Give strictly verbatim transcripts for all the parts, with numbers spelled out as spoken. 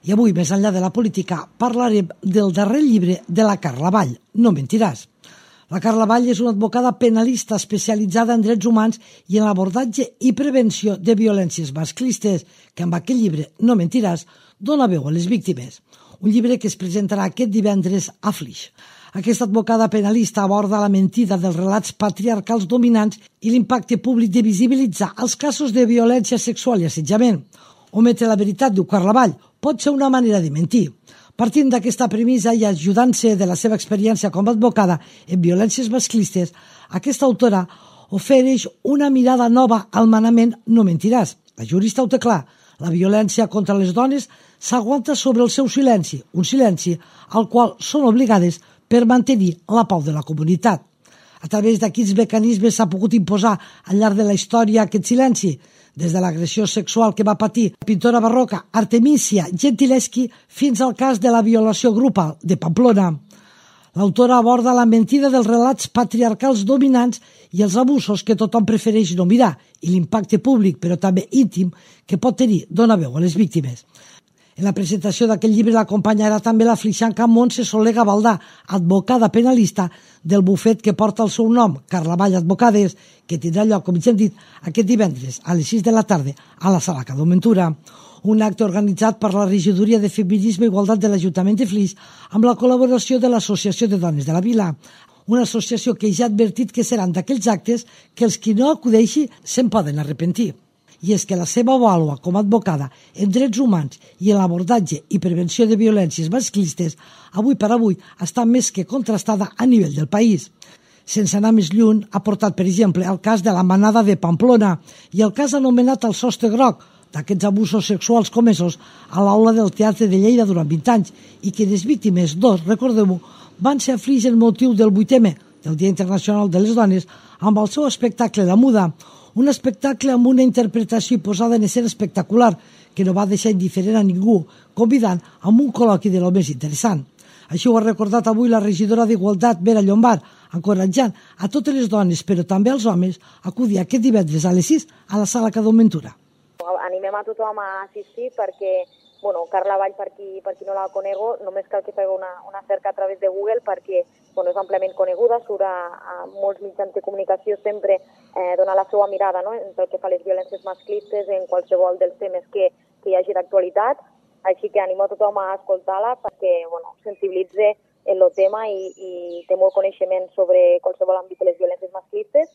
I avui, més enllà de la política, parlarem del darrer llibre de la Carla Vall, No mentiràs. La Carla Vall és una advocada penalista especialitzada en drets humans i en l'abordatge i prevenció de violències masclistes, que amb aquest llibre, No mentiràs, dona veu a les víctimes. Un llibre que es presentarà aquest divendres a Flix. Aquesta advocada penalista aborda la mentida dels relats patriarcals dominants i l'impacte públic de visibilitzar els casos de violència sexual i assetjament. Ometre la veritat, diu Carla Vall, pot ser una manera de mentir. Partint d'aquesta premissa i ajudant-se de la seva experiència com a advocada en violències masclistes, aquesta autora ofereix una mirada nova al manament No mentiràs. La jurista ho té clar. La violència contra les dones s'aguanta sobre el seu silenci, un silenci al qual són obligades per mantenir la pau de la comunitat. A través de quins mecanismes s'ha pogut imposar al llarg de la història aquest silenci? Des de l'agressió sexual que va patir la pintora barroca Artemisia Gentileschi fins al cas de la violació grupal de Pamplona. L'autora aborda la mentida dels relats patriarcals dominants i els abusos que tothom prefereix no mirar i l'impacte públic, però també íntim, que pot tenir dona veu a les víctimes. En la presentació d'aquest llibre l'acompanyarà també la flixanca Montse Soler Gavaldà, advocada penalista del bufet que porta el seu nom, Carla Vall Advocades, que tindrà lloc, com ja hem dit, aquest divendres a les sis de la tarda a la Sala Cadó Ventura. Un acte organitzat per la Regidoria de Feminisme i Igualtat de l'Ajuntament de Flix amb la col·laboració de l'Associació de Dones de la Vila, una associació que ja ha advertit que seran d'aquells actes que els qui no acudeixi se'n poden arrepentir. I és que la seva vàlua com a advocada en drets humans i en l'abordatge i prevenció de violències masclistes avui per avui està més que contrastada a nivell del país. Sense anar més lluny, ha portat, per exemple, el cas de la manada de Pamplona i el cas anomenat el sostre groc, d'aquests abusos sexuals comesos a l'aula del Teatre de Lleida durant vint anys i que les víctimes, dos, recordeu-ho, van ser a Flix en motiu del vuit eme, del Dia Internacional de les Dones, amb el seu espectacle La Muda, un espectacle amb una interpretació i posada en escena espectacular que no va deixar indiferent a ningú, convidant amb un col·loqui de lo més interessant. Així ho ha recordat avui la regidora d'Igualtat, Vera Llombard, encoratjant a totes les dones, però també als homes, a acudir aquest divendres a les sis a la Sala Cadó Ventura. Animem a tothom a assistir perquè, bueno, Carla Vall, per qui, per qui no la conego, només cal que feu una, una cerca a través de Google perquè, bueno, és amplament coneguda, surt a, a molts mitjans de comunicació sempre eh, dona la seva mirada, no?, en tot el que fa les violències masclistes, en qualsevol dels temes que, que hi hagi d'actualitat, així que animo a tothom a escoltar-la perquè, bueno, sensibilitze en el tema i, i té molt coneixement sobre qualsevol àmbit de les violències masclistes.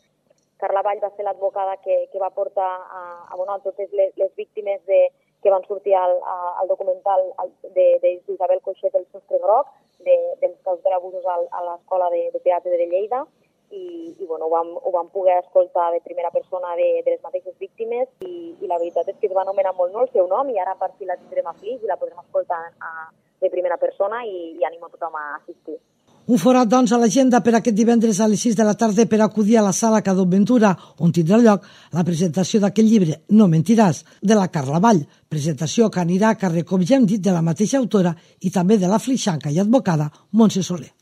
Carla Vall va ser l'advocada que, que va portar a, a, bueno, a totes les, les víctimes de, que van sortir al, al documental d'Isabel Coixet, El sostre groc, de, dels casos d'abusos a l'Escola de, de Teatre de Lleida, i, i bueno, ho, vam, ho vam poder escoltar de primera persona de, de les mateixes víctimes i, i la veritat és que es va anomenar molt no el seu nom i ara per fi la tindrem a Flix i la podrem escoltar a, de primera persona i, i animo a tothom a assistir. Un forat, doncs, a l'agenda per aquest divendres a les sis de la tarda per acudir a la Sala Cadó Ventura, on tindrà lloc la presentació d'aquest llibre, No mentiràs, de la Carla Vall, presentació que anirà a càrrec, com ja hem dit, de la mateixa autora i també de la flixanca i advocada Montse Soler.